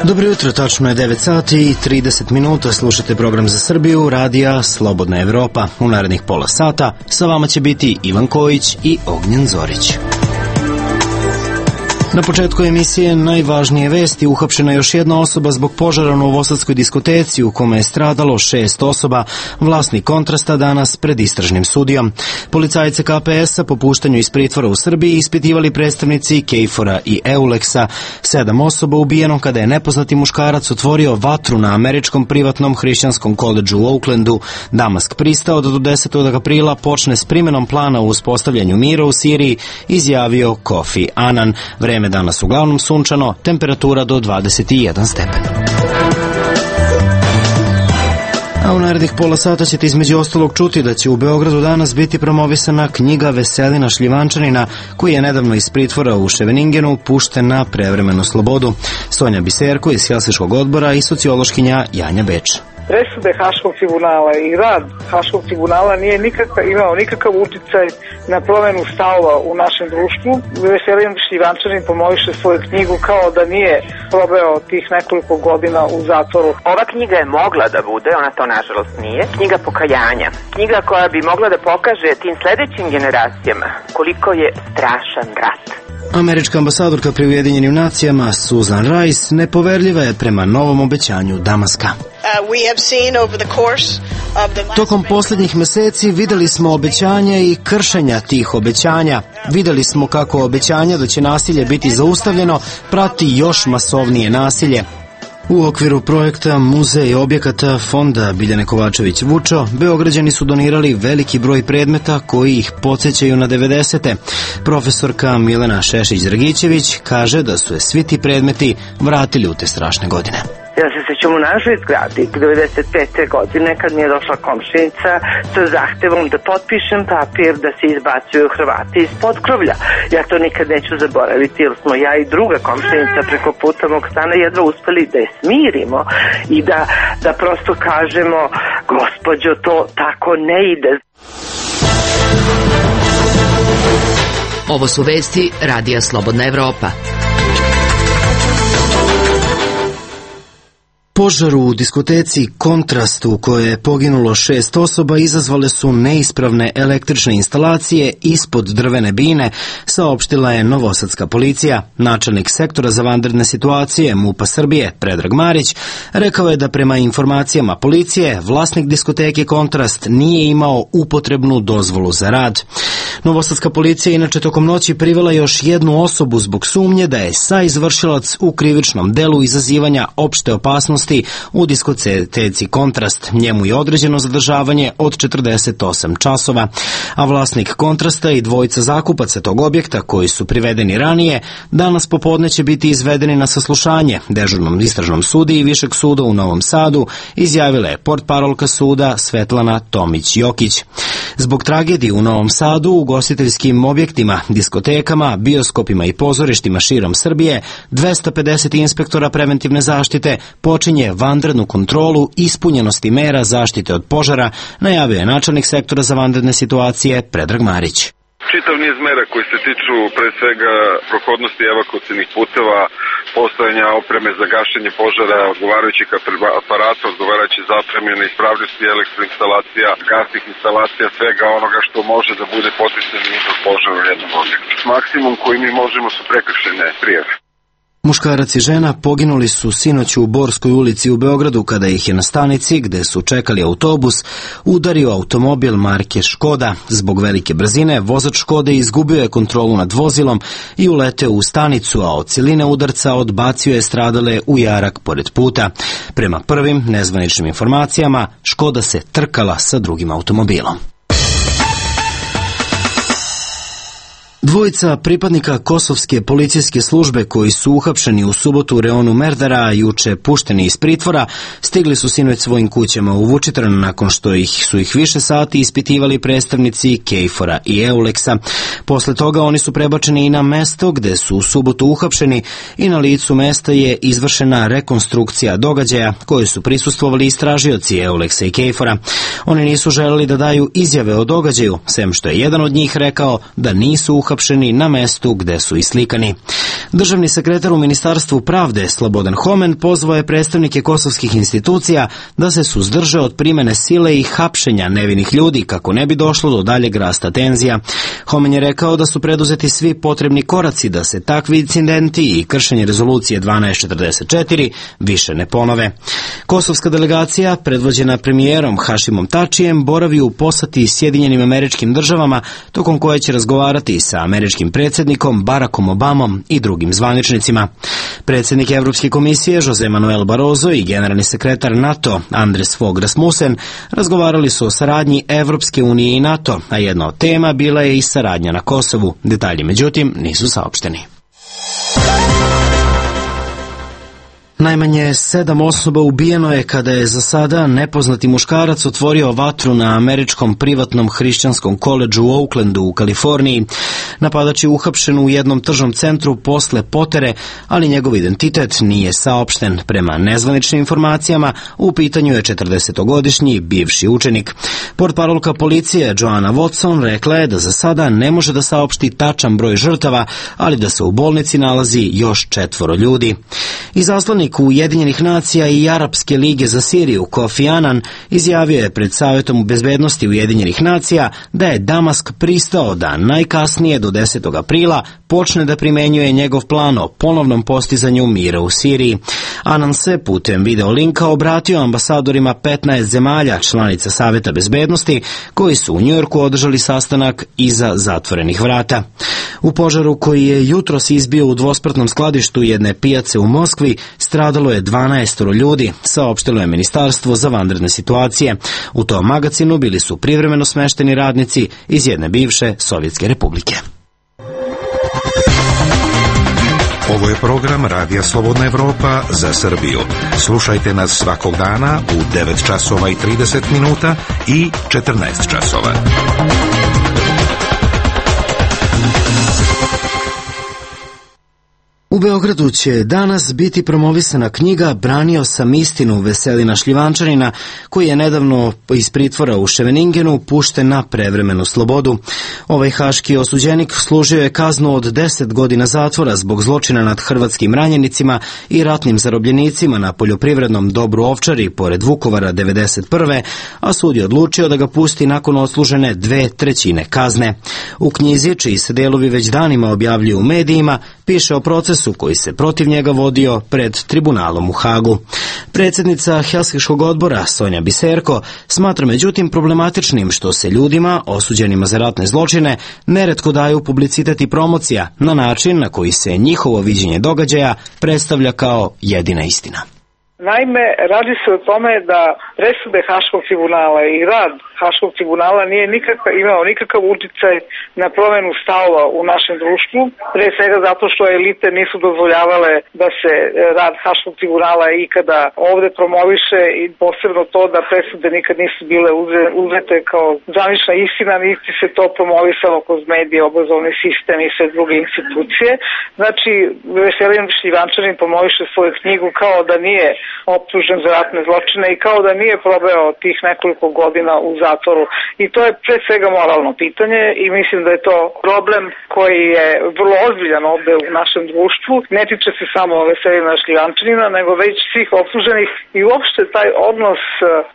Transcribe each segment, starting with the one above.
Dobro jutro, tačno je 9 sati i 30 minuta, slušate program za Srbiju, radija Slobodna Evropa. U narednih pola sata sa vama će biti Ivan Kojić i Ognjen Zorić. Na početku emisije najvažnije vesti: uhapšena još jedna osoba zbog požara u novosadskoj diskoteci u kome je stradalo 6 osoba, vlasnik Kontrasta danas pred istražnim sudijom. Policajce KPS-a po puštanju iz pritvora u Srbiji ispitivali predstavnici KFOR-a i EULEX-a. 7 osoba ubijeno kada je nepoznati muškarac otvorio vatru na američkom privatnom hrišćanskom koledžu u Oaklandu. Damask pristao da do 10. aprila počne s primenom plana u uspostavljanju mira u Siriji, izjavio Kofi Annan. Vreme danas uglavnom sunčano, temperatura do 21 stepen. A u narednih pola sata ćete između ostalog čuti da će u Beogradu danas biti promovisana knjiga Veselina Šljivančanina, koji je nedavno iz pritvora u Ševeningenu pušten na prevremenu slobodu. Sonja Biserko iz Helsinškog odbora i sociološkinja Janja Beč. Presude Haškog tribunala i rad Haškog tribunala nije imao nikakav uticaj na promenu stavova u našem društvu. Veselin Šljivančanin promoviše svoju knjigu kao da nije probao tih nekoliko godina u zatvoru. Ova knjiga je mogla da bude, ona to nažalost nije, knjiga pokajanja. Knjiga koja bi mogla da pokaže tim sledećim generacijama koliko je strašan rat. Američka ambasadorka pri Ujedinjenim nacijama Susan Rice nepoverljiva je prema novom obećanju Damaska. Tokom posljednjih meseci videli smo obećanja i kršenja tih obećanja. Videli smo kako obećanja da će nasilje biti zaustavljeno prati još masovnije nasilje. U okviru projekta Muzej objekata Fonda Biljane Kovačević Vučo, Beograđani su donirali veliki broj predmeta koji ih podsjećaju na 90. Profesorka Milena Šešić-Dragićević kaže da su je svi ti predmeti vratili u te strašne godine. Ja se sećam u našoj zgradi 95. godine kad mi je došla komšinica sa zahtevom da potpišem papir da se izbacuju Hrvati iz potkrovlja. Ja to nikad neću zaboraviti jer smo ja i druga komšinica preko puta mog stana jedva uspeli da je smirimo i da prosto kažemo: gospođo, to tako ne ide. Ovo su vesti radija Slobodna Evropa. Požar u diskoteci Kontrast u kojoj je poginulo 6 osoba izazvale su neispravne električne instalacije ispod drvene bine, saopštila je novosadska policija. Načelnik sektora za vanredne situacije MUP-a Srbije, Predrag Marić, rekao je da prema informacijama policije vlasnik diskoteke Kontrast nije imao upotrebnu dozvolu za rad. Novosadska policija inače tokom noći privela još jednu osobu zbog sumnje da je saizvršilac u krivičnom delu izazivanja opšte opasnosti u diskoteci Kontrast. Njemu je određeno zadržavanje od 48 časova, a vlasnik Kontrasta i dvojica zakupaca tog objekta koji su privedeni ranije, danas popodne će biti izvedeni na saslušanje dežurnom istražnom sudiji Višeg suda u Novom Sadu, izjavila je portparolka suda Svetlana Tomić-Jokić. Zbog tragedije u Novom Sadu, ugostiteljskim objektima, diskotekama, bioskopima i pozorištima širom Srbije, 250 inspektora preventivne zaštite počinje vanrednu kontrolu ispunjenosti mera zaštite od požara, najavio je načelnik sektora za vanredne situacije Predrag Marić. Čitav niz mera koji se tiču pre svega prohodnosti evakuacionih puteva, postojanja opreme za gašenje požara, odgovarajućih aparata, odgovarajuće zapremljene ispravljosti elektroinstalacija, gasnih instalacija, svega onoga što može da bude potencijalni izvor požara u jednom objektu. Maksimum koji mi možemo su prekršajne prijave. Muškarac i žena poginuli su sinoć u Borskoj ulici u Beogradu kada ih je na stanici, gde su čekali autobus, udario automobil marke Škoda. Zbog velike brzine, vozač Škode izgubio je kontrolu nad vozilom i uleteo u stanicu, a od siline udarca odbacio je stradale u jarak pored puta. Prema prvim nezvaničnim informacijama, Škoda se trkala sa drugim automobilom. Dvojica pripadnika kosovske policijske službe koji su uhapšeni u subotu u reonu Merdara, a juče pušteni iz pritvora, stigli su sinoć svojim kućama u Vučitrn nakon što su ih više sati ispitivali predstavnici KFOR-a i EULEX-a. Posle toga oni su prebačeni i na mesto gde su u subotu uhapšeni i na licu mesta je izvršena rekonstrukcija događaja koje su prisustvovali istražioci EULEX-a i KFOR-a. Oni nisu želeli da daju izjave o događaju, sem što je jedan od njih rekao da nisu uhapšeni na mestu gde su islikani. Državni sekretar u Ministarstvu pravde Slobodan Homen pozvao je predstavnike kosovskih institucija da se suzdrže od primene sile i hapšenja nevinih ljudi kako ne bi došlo do daljeg rasta tenzija. Homen je rekao da su preduzeti svi potrebni koraci da se takvi incidenti i kršenje rezolucije 1244 više ne ponove. Kosovska delegacija, predvođena premijerom Hašimom Tačijem, boravi u poseti Sjedinjenim Američkim Državama, tokom koje će razgovarati sa američkim predsjednikom Barackom Obamom i drugim zvaničnicima. Predsjednik Evropske komisije Jose Manuel Barroso i generalni sekretar NATO Andres Fogh Rasmussen razgovarali su o saradnji Evropske unije i NATO, a jedna od tema bila je i saradnja na Kosovu. Detalji, međutim, nisu saopšteni. Najmanje 7 osoba ubijeno je kada je za sada nepoznati muškarac otvorio vatru na američkom privatnom hrišćanskom koledžu u Oaklandu u Kaliforniji. Napadač je uhapšen u jednom tržnom centru posle potere, ali njegov identitet nije saopšten. Prema nezvaničnim informacijama, u pitanju je 40-godišnji bivši učenik. Portparolka policije Joanna Watson rekla je da za sada ne može da saopšti tačan broj žrtava, ali da se u bolnici nalazi još 4 ljudi. Izaslanik Ujedinjenih nacija i Arapske lige za Siriju Kofi Annan izjavio je pred Savjetom bezbednosti Ujedinjenih nacija da je Damask pristao da najkasnije do 10. aprila počne da primenjuje njegov plan o ponovnom postizanju mira u Siriji. Annan se putem video linka obratio ambasadorima 15 zemalja članica Savjeta bezbednosti koji su u Njujorku održali sastanak iza zatvorenih vrata. U požaru koji je jutros izbio u dvospratnom skladištu jedne pijace u Moskvi stradalo je 12 ljudi, saopštilo je Ministarstvo za vanredne situacije. U tom magacinu bili su privremeno smešteni radnici iz jedne bivše Sovjetske republike. Ovo je program Radija Slobodna Evropa za Srbiju. Slušajte nas svakog dana u 9 časova i 30 minuta i 14 časova. U Beogradu će danas biti promovisana knjiga Branio sam istinu Veselina Šljivančanina, koji je nedavno iz pritvora u Ševeningenu pušten na prevremenu slobodu. Ovaj haški osuđenik služio je kaznu od 10 godina zatvora zbog zločina nad hrvatskim ranjenicima i ratnim zarobljenicima na poljoprivrednom dobru Ovčari pored Vukovara 1991. a sud je odlučio da ga pusti nakon odslužene 2/3 kazne. U knjizi, čiji se delovi već danima objavljuju u medijima, piše o procesu koji se protiv njega vodio pred tribunalom u Hagu. Predsjednica Helsinškog odbora Sonja Biserko smatra međutim problematičnim što se ljudima osuđenima za ratne zločine neretko daju publicitet i promocija na način na koji se njihovo viđenje događaja predstavlja kao jedina istina. Naime, radi se o tome da presude Haškog tribunala i rad Haškog tribunala nije imao nikakav uticaj na promjenu stavova u našem društvu, pre svega zato što elite nisu dozvoljavale da se rad Haškog tribunala ikada ovde promoviše i posebno to da presude nikad nisu bile uzete kao zvanična istina, niti se to promovisalo kroz medije, obrazovni sistem i sve druge institucije. Znači, Veselin Šljivančanin promoviše svoju knjigu kao da nije optužen za ratne zločine i kao da nije probao tih nekoliko godina u zatvoru. I to je pre svega moralno pitanje i mislim da je to problem koji je vrlo ozbiljan ovde u našem društvu. Ne tiče se samo Veselina Šljivančanina, nego već svih optuženih i uopšte taj odnos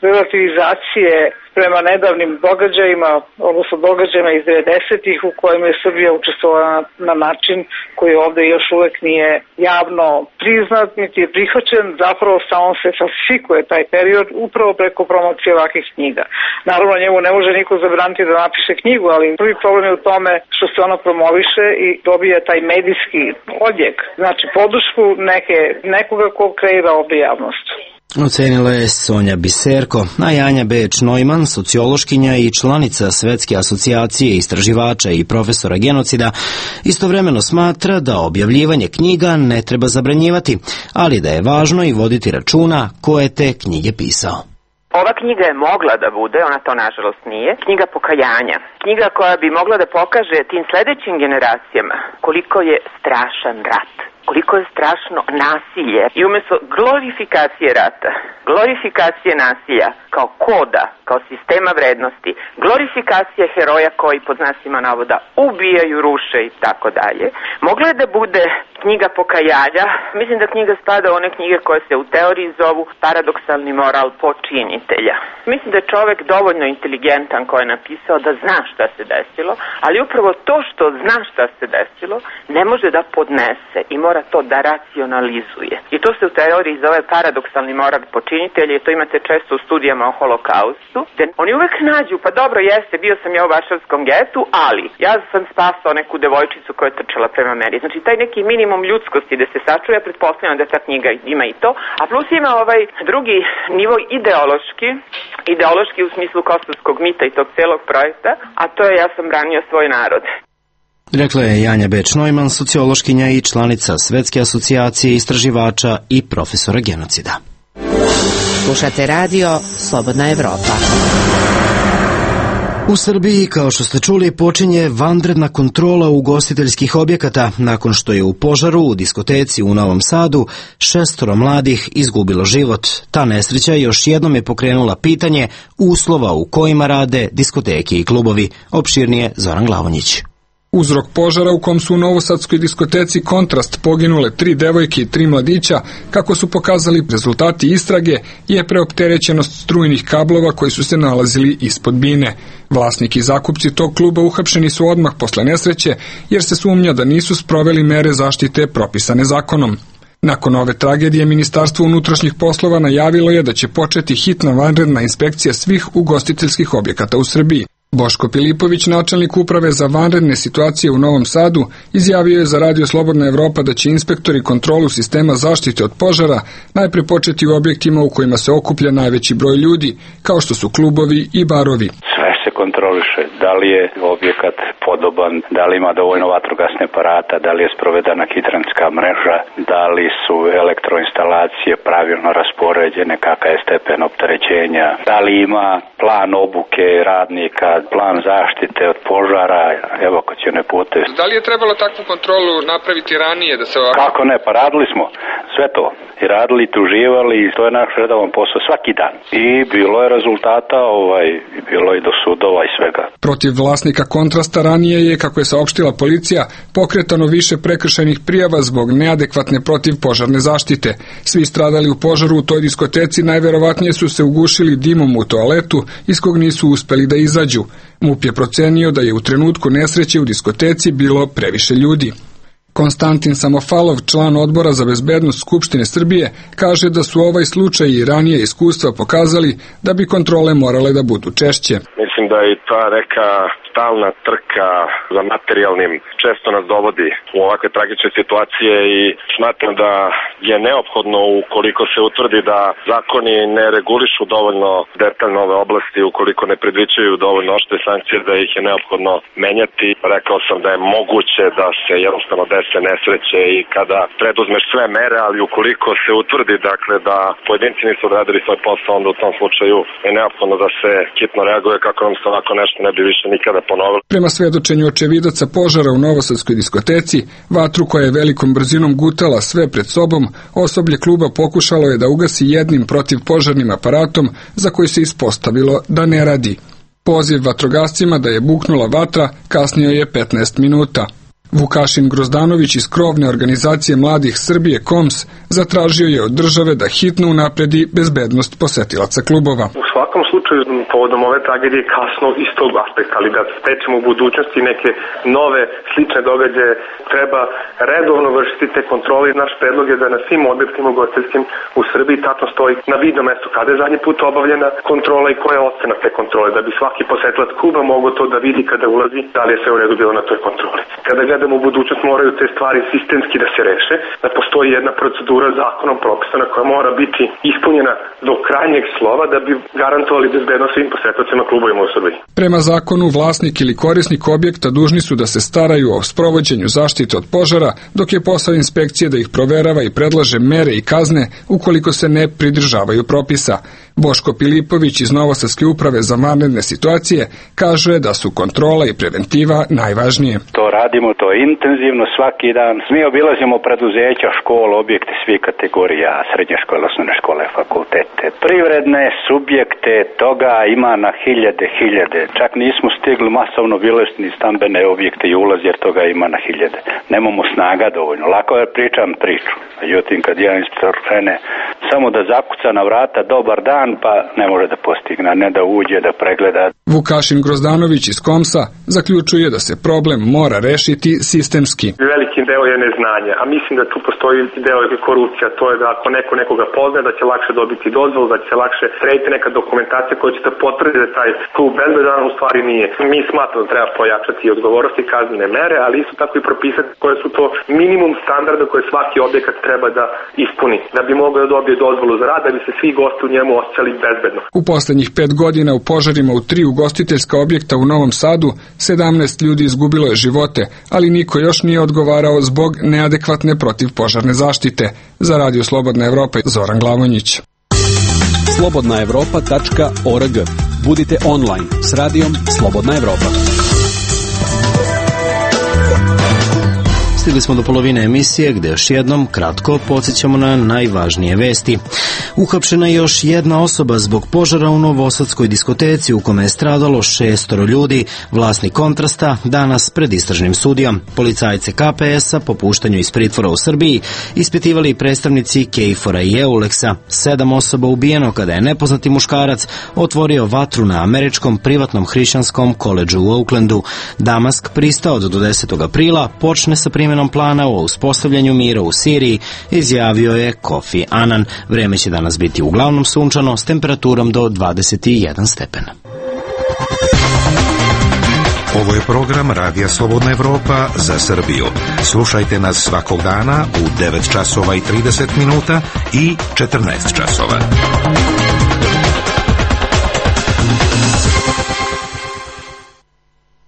relativizacije prema nedavnim događajima, odnosno događajima iz 90-ih u kojima je Srbija učestvovala na način koji ovde još uvek nije javno priznat, niti je prihvaćen, zapravo samo se falsifikuje taj period upravo preko promocije ovakvih knjiga. Naravno, njemu ne može niko zabraniti da napiše knjigu, ali prvi problem je u tome što se ona promoviše i dobije taj medijski odjek, znači podršku nekoga ko kreira ovde javnost. Ocenila je Sonja Biserko, a Janja Beč-Neumann, sociološkinja i članica Svetske asocijacije istraživača i profesora genocida, istovremeno smatra da objavljivanje knjiga ne treba zabranjivati, ali da je važno i voditi računa ko je te knjige pisao. Ova knjiga je mogla da bude, ona to nažalost nije, knjiga pokajanja. Knjiga koja bi mogla da pokaže tim sledećim generacijama koliko je strašan rat, koliko je strašno nasilje i umjesto glorifikacije rata, glorifikacije nasilja kao koda, kao sistema vrednosti, glorifikacije heroja koji pod znacima navoda ubijaju, ruše i tako dalje, mogla je da bude knjiga pokajanja. Mislim da knjiga spada u one knjige koje se u teoriji zovu paradoksalni moral počinitelja. Mislim da je čovek dovoljno inteligentan koji je napisao da zna šta se desilo, ali upravo to što zna šta se desilo ne može da podnese i mora to da racionalizuje. I to se u teoriji zove paradoksalni moral počinitelja i to imate često u studijama o holokaustu. Oni uvek nađu, pa dobro jeste, bio sam ja u Varšavskom getu, ali ja sam spasao neku devojčicu koja je trčala prema meni. Znači taj neki minimum ljudskosti da se sačuje, pretpostavljam da ta knjiga ima i to, a plus ima ovaj drugi nivo ideološki u smislu kosovskog mita i tog celog projekta, a to je ja sam branio svoj narod. Rekla je Janja Beč-Neumann, sociološkinja i članica Svetske asocijacije istraživača i profesora genocida. Slušate radio Slobodna Evropa. U Srbiji, kao što ste čuli, počinje vanredna kontrola ugostiteljskih objekata nakon što je u požaru u diskoteci u Novom Sadu 6 mladih izgubilo život. Ta nesreća još jednom je pokrenula pitanje uslova u kojima rade diskoteke i klubovi. Opširnije Zoran Glavonjić. Uzrok požara u kom su u novosadskoj diskoteci Kontrast poginule 3 devojke i 3 mladića, kako su pokazali rezultati istrage, je preopterećenost strujnih kablova koji su se nalazili ispod bine. Vlasnik i zakupci tog kluba uhapšeni su odmah posle nesreće, jer se sumnja da nisu sproveli mere zaštite propisane zakonom. Nakon ove tragedije, Ministarstvo unutrašnjih poslova najavilo je da će početi hitna vanredna inspekcija svih ugostiteljskih objekata u Srbiji. Boško Pilipović, načelnik uprave za vanredne situacije u Novom Sadu, izjavio je za Radio Slobodna Evropa da će inspektori kontrolu sistema zaštite od požara najpre početi u objektima u kojima se okuplja najveći broj ljudi, kao što su klubovi i barovi. Sve se kontroliše, da li je objekat podoban, da li ima dovoljno vatrogasne aparata, da li je sprovedena hidrantska mreža, da li su elektroinstalacije pravilno raspoređene, kakav je stepen opterećenja, da li ima plan obuke radnika, plan zaštite od požara, evakuacione puteve. Da li je trebalo takvu kontrolu napraviti ranije da se ovako... Kako ne, pa radili smo sve to. I radili, tuživali, to je naš redovan posao svaki dan. I bilo je rezultata, bilo je do sudova i svega. Protiv vlasnika Kontrasta ranije je, kako je saopštila policija, pokretano više prekršajnih prijava zbog neadekvatne protivpožarne zaštite. Svi stradali u požaru u toj diskoteci najverovatnije su se ugušili dimom u toaletu iz kog nisu uspeli da izađu. MUP je procenio da je u trenutku nesreće u diskoteci bilo previše ljudi. Konstantin Samofalov, član odbora za bezbednost Skupštine Srbije, kaže da su ovaj slučaj i ranije iskustva pokazali da bi kontrole morale da budu češće. Mislim da je ta neka stalna trka za materijalnim često nas dovodi u ovakve tragične situacije i smatram da je neophodno, ukoliko se utvrdi da zakoni ne regulišu dovoljno detaljno ove oblasti, ukoliko ne predviđaju dovoljno oštre sankcije, da ih je neophodno menjati. Rekao sam da je moguće da se jednostavno dese nesreće i kada preduzmeš sve mere, ali ukoliko se utvrdi da pojedinci nisu odradili svoj posao, onda u tom slučaju je neophodno da se hitno reaguje kako nam se ovako nešto ne bi više nikada ponovilo. Prema svedočenju očevidaca požara u novosadskoj diskoteci, vatru koja je velikom brzinom gutala sve pred sobom, osoblje kluba pokušalo je da ugasi jednim protivpožarnim aparatom za koji se ispostavilo da ne radi. Poziv vatrogascima da je buknula vatra kasnio je 15 minuta. Vukašin Grozdanović iz krovne organizacije mladih Srbije KOMS zatražio je od države da hitno unapredi bezbednost posetilaca klubova. U svakom slučaju pokušaju povodom ove tragedije kasno iz tog aspekta, ali da stečemo u budućnosti neke nove slične događaje, treba redovno vršiti te kontrole. Naš predlog je da na svim objektima ugostiteljskim u Srbiji tačno stoji na vidnom mestu kada je zadnji put obavljena kontrola i koja je ocena te kontrole, da bi svaki posetilac kluba mogao to da vidi kada ulazi, da li je sve u redu bilo na toj kontroli. Kada gledamo u budućnost, moraju te stvari sistemski da se reše, da postoji jedna procedura zakonom propisana koja mora biti ispunjena do krajnjeg slova da bi garantovali bezbednost svim posetiocima klubovima u Srbiji. Prema zakonu, vlasnik ili korisnik objekta dužni su da se staraju o sprovođenju zaštite od požara, dok je posao inspekcije da ih proverava i predlaže mere i kazne ukoliko se ne pridržavaju propisa. Boško Pilipović iz Novosadske uprave za vanredne situacije kaže da su kontrola i preventiva najvažnije. To radimo, to je intenzivno svaki dan. Mi obilazimo preduzeća, škole, objekte svih kategorija, srednje škole, osnovne škole, fakultete, privredne subjekte, toga ima na hiljade. Čak nismo stigli masovno obilaziti ni stambene objekte i ulaz, jer toga ima na hiljade. Nemamo snaga dovoljno. Lako je pričam priču. Međutim, kad jedan inspektor krene samo da zakuca na vrata dobar dan, pa ne može da postigne, ne da uđe, da pregleda. Vukašin Grozdanović iz Komsa zaključuje da se problem mora rešiti sistemski. Veliki deo je neznanje, a mislim da tu postoji deo je korupcija. To je da ako neko nekoga poznaje, da će lakše dobiti dozvolu, da će se lakše srediti neka dokumentacija koja će da potvrdi da taj klub bezbedan u stvari nije. Mi smatramo da treba pojačati odgovornosti i kaznene mere, ali isto tako i propisati koje su to minimum standarda koje svaki objekat treba da ispuni, da bi mogao da dobije dozvolu za rad, da bi se svi gosti u njemu osjećali bezbedno. U poslednjih 5 godina u požarima u 3 ugostiteljska objekta u Novom Sadu 17 ljudi izgubilo je živote, ali niko još nije odgovarao zbog neadekvatne protivpožarne zaštite. Za Radio Slobodna Evropa, Zoran Glavonjić. slobodnaevropa.org. Budite online s radijom Slobodna Evropa. Stigli smo do polovine emisije gde još jednom kratko podsjećamo na najvažnije vesti. Uhapšena je još jedna osoba zbog požara u Novosadskoj diskoteci u kome je stradalo 6 ljudi. Vlasnik Kontrasta danas pred istražnim sudijom. Policajce KPS-a po puštanju iz pritvora u Srbiji ispitivali predstavnici KFOR-a i EULEX-a. 7 osoba ubijeno kada je nepoznati muškarac otvorio vatru na američkom privatnom hrišćanskom koledžu u Oaklandu. Damask pristao da do 10. aprila počne sa primjenom plana o uspostavljanju mira u Siriji, izjavio je Kofi Annan. Vreme će danas biti uglavnom sunčano s temperaturom do 21 stepen. Ovo je program Radija Slobodna Evropa za Srbiju. Slušajte nas svakog dana u 9 časova i 30 minuta i 14 časova.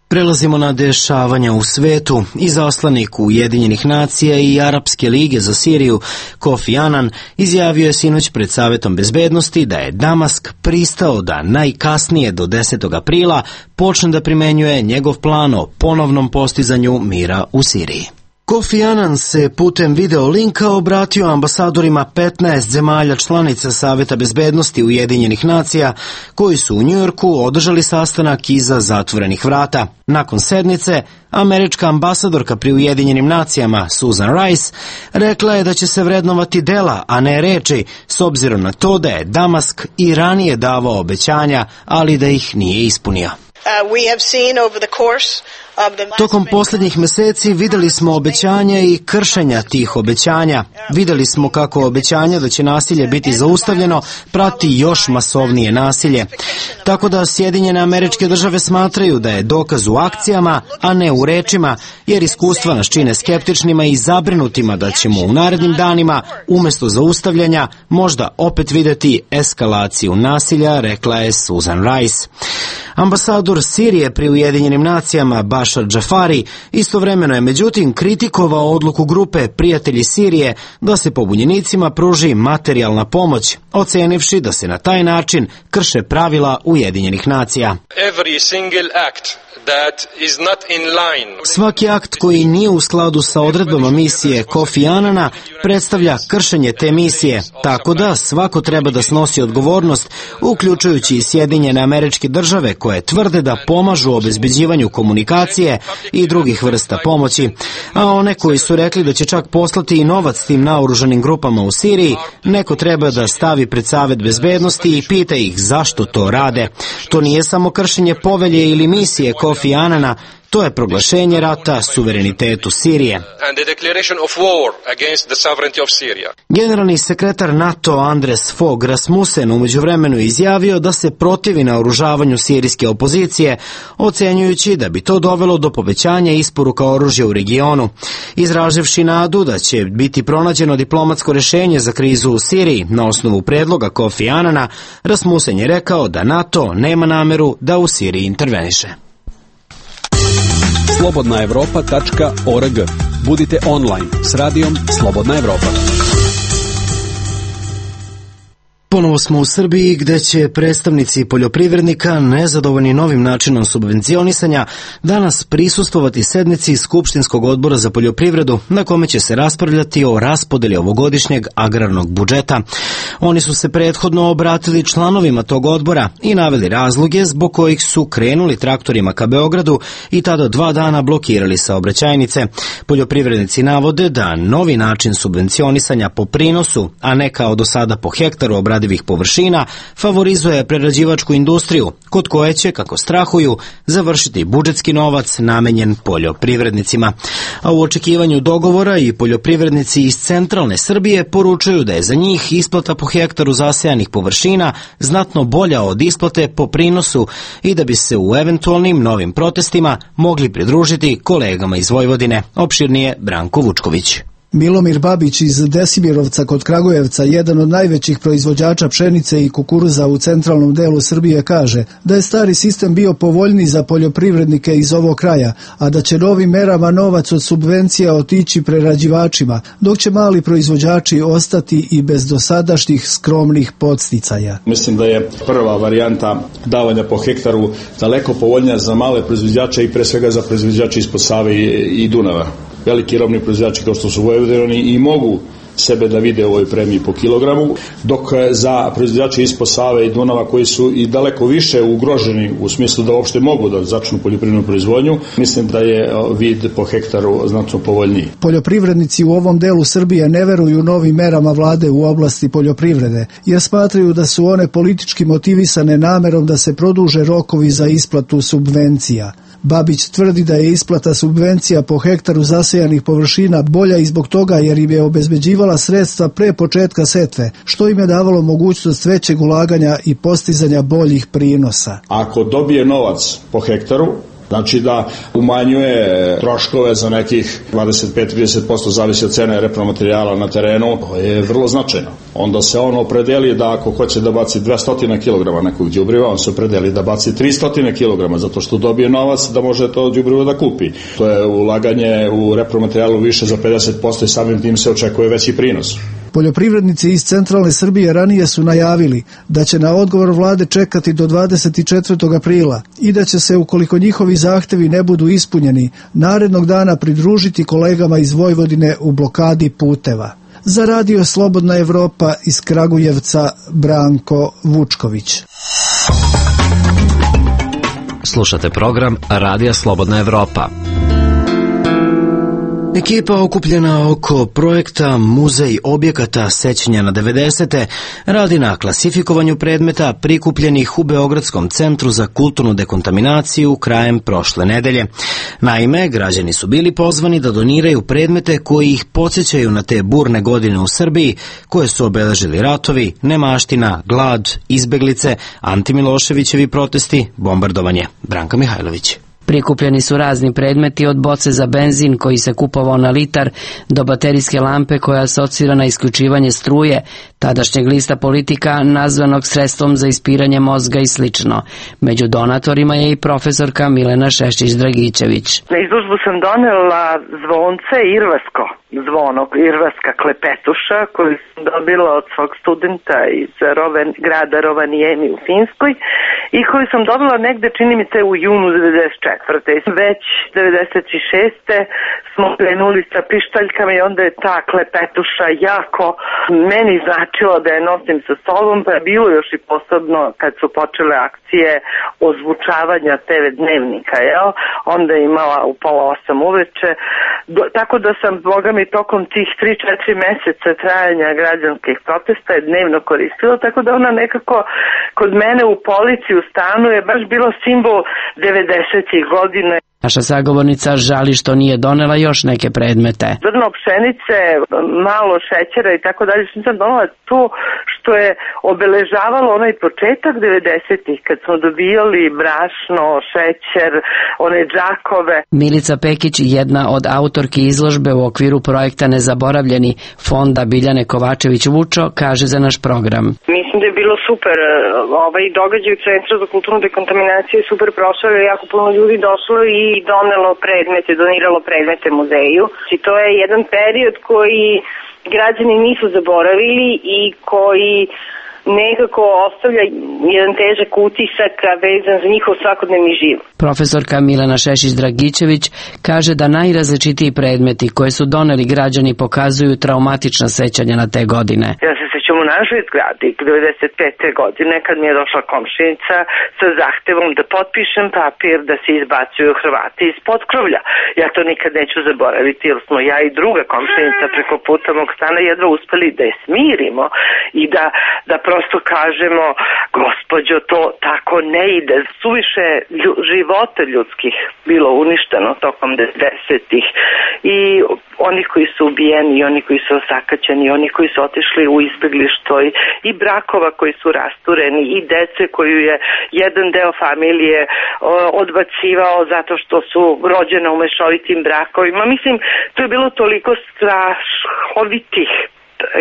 Prelazimo na dešavanja u svetu. Izaslanik Ujedinjenih nacija i Arapske lige za Siriju Kofi Annan izjavio je sinoć pred Savetom bezbednosti da je Damask pristao da najkasnije do 10. aprila počne da primenjuje njegov plan o ponovnom postizanju mira u Siriji. Kofi Annan se putem video linka obratio ambasadorima 15 zemalja članica Saveta bezbednosti Ujedinjenih nacija koji su u Njujorku održali sastanak iza zatvorenih vrata. Nakon sednice, američka ambasadorka pri Ujedinjenim nacijama Susan Rice rekla je da će se vrednovati dela, a ne reči, s obzirom na to da je Damask i ranije davao obećanja, ali da ih nije ispunio. Tokom posljednjih meseci videli smo obećanja i kršenja tih obećanja. Videli smo kako obećanja da će nasilje biti zaustavljeno prati još masovnije nasilje. Tako da Sjedinjene Američke Države smatraju da je dokaz u akcijama, a ne u rečima, jer iskustva nas čine skeptičnima i zabrinutima da ćemo u narednim danima, umjesto zaustavljanja, možda opet videti eskalaciju nasilja, rekla je Susan Rice. Ambasador Sirije pri Ujedinjenim nacijama Bashar Jafari istovremeno je međutim kritikovao odluku grupe Prijatelji Sirije da se pobunjenicima pruži materijalna pomoć, ocenivši da se na taj način krše pravila Ujedinjenih nacija. Svaki akt koji nije u skladu sa odredbama misije Kofi Annana predstavlja kršenje te misije, tako da svako treba da snosi odgovornost, uključujući i Sjedinjene Američke Države koje tvrde da pomažu obezbeđivanju komunikacije municije i drugih vrsta pomoći, a one koji su rekli da će čak poslati i novac tim naoružanim grupama u Siriji, neko treba da stavi pred Savet bezbednosti i pita ih zašto to rade. To nije samo kršenje povelje ili misije Kofi Anana, to je proglašenje rata suverenitetu Sirije. Generalni sekretar NATO Andres Fogh Rasmussen u međuvremenu izjavio da se protivi naoružavanju sirijske opozicije, ocenjujući da bi to dovelo do povećanja isporuka oružja u regionu. Izraživši nadu da će biti pronađeno diplomatsko rešenje za krizu u Siriji na osnovu predloga Kofi Anana, Rasmussen je rekao da NATO nema nameru da u Siriji interveniše. slobodnaevropa.org. Budite online s radijom Slobodna Evropa. Ponovo smo u Srbiji gde će predstavnici poljoprivrednika nezadovoljni novim načinom subvencionisanja danas prisustvovati sednici Skupštinskog odbora za poljoprivredu na kome će se raspravljati o raspodeli ovogodišnjeg agrarnog budžeta. Oni su se prethodno obratili članovima tog odbora i naveli razloge zbog kojih su krenuli traktorima ka Beogradu i tada 2 dana blokirali saobraćajnice. Poljoprivrednici navode da novi način subvencionisanja po prinosu, a ne kao do sada po hektaru obradivih površina, favorizuje prerađivačku industriju, kod koje će, kako strahuju, završiti budžetski novac namenjen poljoprivrednicima. A u očekivanju dogovora i poljoprivrednici iz centralne Srbije poručuju da je za njih isplata po hektaru zasejanih površina znatno bolja od isplate po prinosu i da bi se u eventualnim novim protestima mogli pridružiti kolegama iz Vojvodine. Opširnije Branko Vučković. Milomir Babić iz Desimirovca kod Kragujevca, jedan od najvećih proizvođača pšenice i kukuruza u centralnom delu Srbije, kaže da je stari sistem bio povoljniji za poljoprivrednike iz ovog kraja, a da će novim merama novac od subvencija otići prerađivačima, dok će mali proizvođači ostati i bez dosadašnjih skromnih podsticaja. Mislim da je prva varijanta davanja po hektaru daleko povoljnija za male proizvođače i pre svega za proizvođače ispod Save i Dunava. Veliki robni proizvođači kao što su Vojvodini i mogu sebe da vide u ovoj premiji po kilogramu, dok za proizvođače ispod Save i Dunava koji su i daleko više ugroženi u smislu da uopšte mogu da začnu poljoprivrednu proizvodnju, mislim da je vid po hektaru znatno povoljniji. Poljoprivrednici u ovom delu Srbije ne veruju novim merama vlade u oblasti poljoprivrede, jer smatraju da su one politički motivisane namerom da se produže rokovi za isplatu subvencija. Babić tvrdi da je isplata subvencija po hektaru zasejanih površina bolja i zbog toga jer im je obezbeđivala sredstva pre početka setve, što im je davalo mogućnost većeg ulaganja i postizanja boljih prinosa. Ako dobije novac po hektaru, znači da umanjuje troškove za nekih 25-30%, zavisi od cene repromaterijala na terenu, to je vrlo značajno. Onda se on opredeli da ako hoće da baci 200 kg nekog đubriva, on se opredeli da baci 300 kg, zato što dobije novac da može to đubrivo da kupi. To je ulaganje u repromaterijalu više za 50% i samim tim se očekuje veći prinos. Poljoprivrednici iz centralne Srbije ranije su najavili da će na odgovor vlade čekati do 24. aprila i da će se, ukoliko njihovi zahtevi ne budu ispunjeni, narednog dana pridružiti kolegama iz Vojvodine u blokadi puteva. Za radio Slobodna Evropa iz Kragujevca, Branko Vučković. Slušate program Radija Slobodna Evropa. Ekipa okupljena oko projekta Muzej objekata sećanja na 90. radi na klasifikovanju predmeta prikupljenih u Beogradskom centru za kulturnu dekontaminaciju krajem prošle nedelje. Naime, građani su bili pozvani da doniraju predmete koji ih podsjećaju na te burne godine u Srbiji koje su obeležili ratovi, nemaština, glad, izbeglice, antimiloševićevi protesti, bombardovanje. Branka Mihajlović. Prikupljeni su razni predmeti od boce za benzin koji se kupovao na litar do baterijske lampe koja asocira na isključivanje struje, tadašnjeg lista Politika nazvanog sredstvom za ispiranje mozga i slično. Među donatorima je i profesorka Milena Šešić-Dragičević. Na izložbu sam donela zvonce irvasko, zvono, irvaska klepetuša koju sam dobila od svog studenta iz grada Rovaniemi u Finskoj i koju sam dobila negde, čini mi se, u junu 94. Već 96. smo krenuli sa pištaljkama i onda je ta klepetuša jako meni značilo da je nosim sa sobom, pa je bilo još i posebno kad su počele akcije ozvučavanja TV dnevnika, jel? Onda je imala u 7:30 uveče, tako da sam, boga mi, tokom tih 3-4 meseca trajanja građanskih protesta je dnevno koristila, tako da ona nekako kod mene u polici u stanu je baš bilo simbol 90-ih godina. Naša sagovornica žali što nije donela još neke predmete. Zrno pšenice, malo šećera i tako dalje, što sam donela to što je obeležavalo onaj početak 90-ih, kad smo dobijali brašno, šećer, one džakove. Milica Pekić, jedna od autorki izložbe u okviru projekta Nezaboravljeni fonda Biljane Kovačević-Vučo, kaže za naš program. Mislim da je bilo super, ovaj događaj u Centru za kulturnu dekontaminaciju je super prošao, je jako puno ljudi došlo i donelo predmete, doniralo predmete muzeju. I to je jedan period koji građani nisu zaboravili i koji nekako ostavlja jedan težak utisak vezan za njihov svakodnevni život. Profesorka Milena Šešić-Dragičević kaže da najrazličitiji predmeti koje su doneli građani pokazuju traumatična sećanja na te godine. Ja se sećam u našoj zgradi 95. godine kad mi je došla komšinica sa zahtevom da potpišem papir da se izbacuju Hrvati iz potkrovlja. Ja to nikad neću zaboraviti jer smo ja i druga komšinica preko puta mog stana jedva uspeli da je smirimo i da prosto kažemo, gospođo, to tako ne ide. Suviše života ljudskih bilo uništeno tokom 90-ih i oni koji su ubijeni, i oni koji su osakaćeni, i oni koji su otišli u izbeglištvo i brakova koji su rastureni i dece koju je jedan deo familije odbacivao zato što su rođene u mešovitim brakovima. Mislim, to je bilo toliko strahovitih,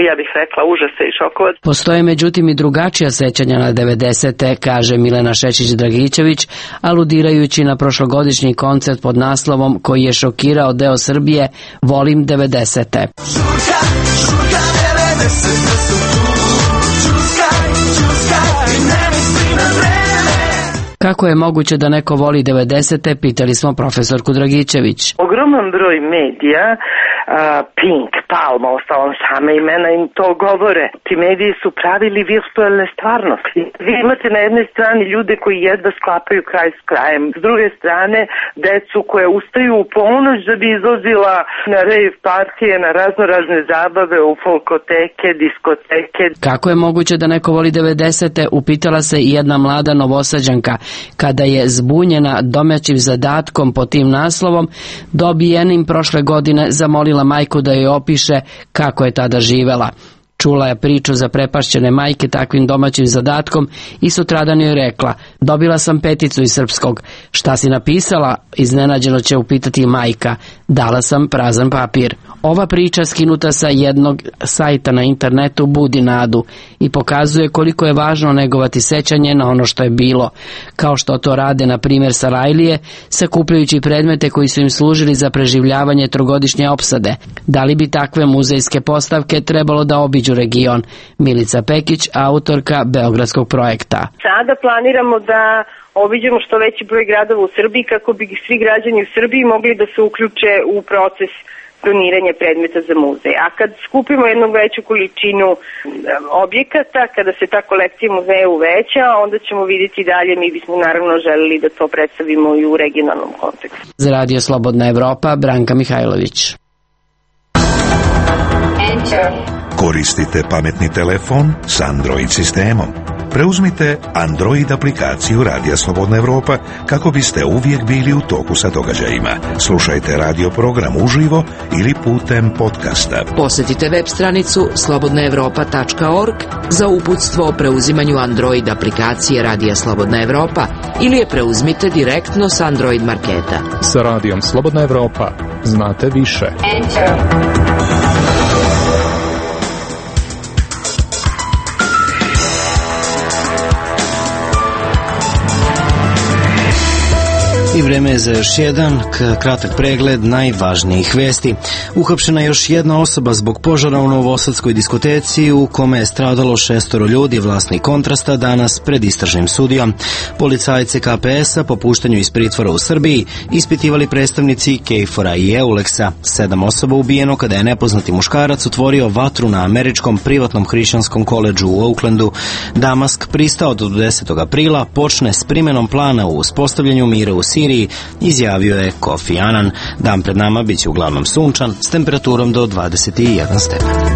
ja bih rekla, užasa i šokova. Postoje međutim i drugačija sećanja na 90-te, kaže Milena Šešić-Dragičević, aludirajući na prošlogodišnji koncert pod naslovom koji je šokirao deo Srbije Volim 90-te. Kako je moguće da neko voli 90-te, pitali smo profesorku Dragičević. Ogroman broj medija, Pink, Palma, ostalom same imena im to govore. Ti mediji su pravili virtualne stvarnosti. Vi imate na jednoj strani ljude koji jedva sklapaju kraj s krajem. S druge strane, decu koje ustaju u ponoć da bi izlazila na rave partije, na raznorazne zabave, u folkoteke, diskoteke. Kako je moguće da neko voli 90-te, upitala se i jedna mlada Novosađanka, kada je zbunjena domaćim zadatkom pod tim naslovom, dobijenim prošle godine zamolila majku da joj opiše kako je tada živela. Čula je priču za prepašćene majke takvim domaćim zadatkom i sutradan joj rekla: dobila sam 5 iz srpskog. Šta si napisala? Iznenađeno će upitati majka. Dala sam prazan papir. Ova priča skinuta sa jednog sajta na internetu budi nadu i pokazuje koliko je važno negovati sećanje na ono što je bilo, kao što to rade na primjer Sarajlije, sakupljajući predmete koji su im služili za preživljavanje trogodišnje opsade. Da li bi takve muzejske postavke trebalo da obiđu region? Milica Pekić, autorka beogradskog projekta. Sada planiramo da obiđemo što veći broj gradova u Srbiji kako bi svi građani u Srbiji mogli da se uključe u proces doniranja predmeta za muzej. A kad skupimo jednu veću količinu objekata, kada se ta kolekcija muzeja uveća, onda ćemo vidjeti dalje. Mi bismo naravno želeli da to predstavimo i u regionalnom kontekstu. Za Radio Slobodna Evropa, Branka Mihajlović. Koristite pametni telefon s Android sistemom. Preuzmite Android aplikaciju Radija Slobodna Evropa kako biste uvijek bili u toku sa događajima. Slušajte radio program uživo ili putem podcasta. Posjetite web stranicu slobodnaevropa.org za uputstvo o preuzimanju Android aplikacije Radija Slobodna Evropa ili je preuzmite direktno s Android marketa. Sa Radijom Slobodna Evropa znate više. I vreme je za još jedan kratak pregled najvažnijih vesti. Uhapšena je još jedna osoba zbog požara u novosadskoj diskoteci u kome je stradalo 6 ljudi, vlasnik Kontrasta, danas pred istražnim sudijom. Policajce KPS-a po puštanju iz pritvora u Srbiji ispitivali predstavnici KFOR-a i EULEX-a. 7 osoba ubijeno kada je nepoznati muškarac otvorio vatru na američkom privatnom hrišćanskom koledžu u Oaklandu. Damask pristao do 10. aprila počne s primenom plana u uspostavljanju mira u Siriji, izjavio je Kofi Annan. Dan pred nama biće uglavnom sunčan s temperaturom do 21 stepen.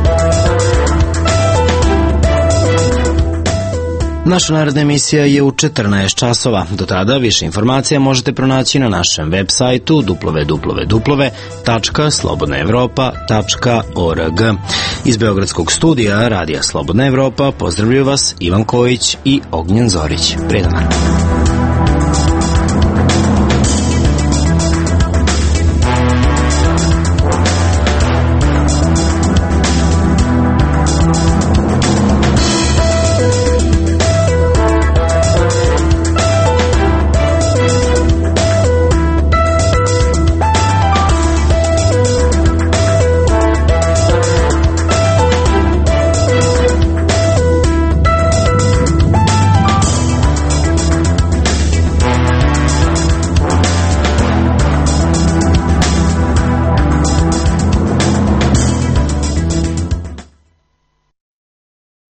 Naša naredna emisija je u 14 časova. Do tada više informacija možete pronaći na našem web sajtu www.slobodnaevropa.org. Iz Beogradskog studija Radija Slobodna Evropa pozdravljaju vas Ivan Kojić i Ognjen Zorić. Prijedan dan.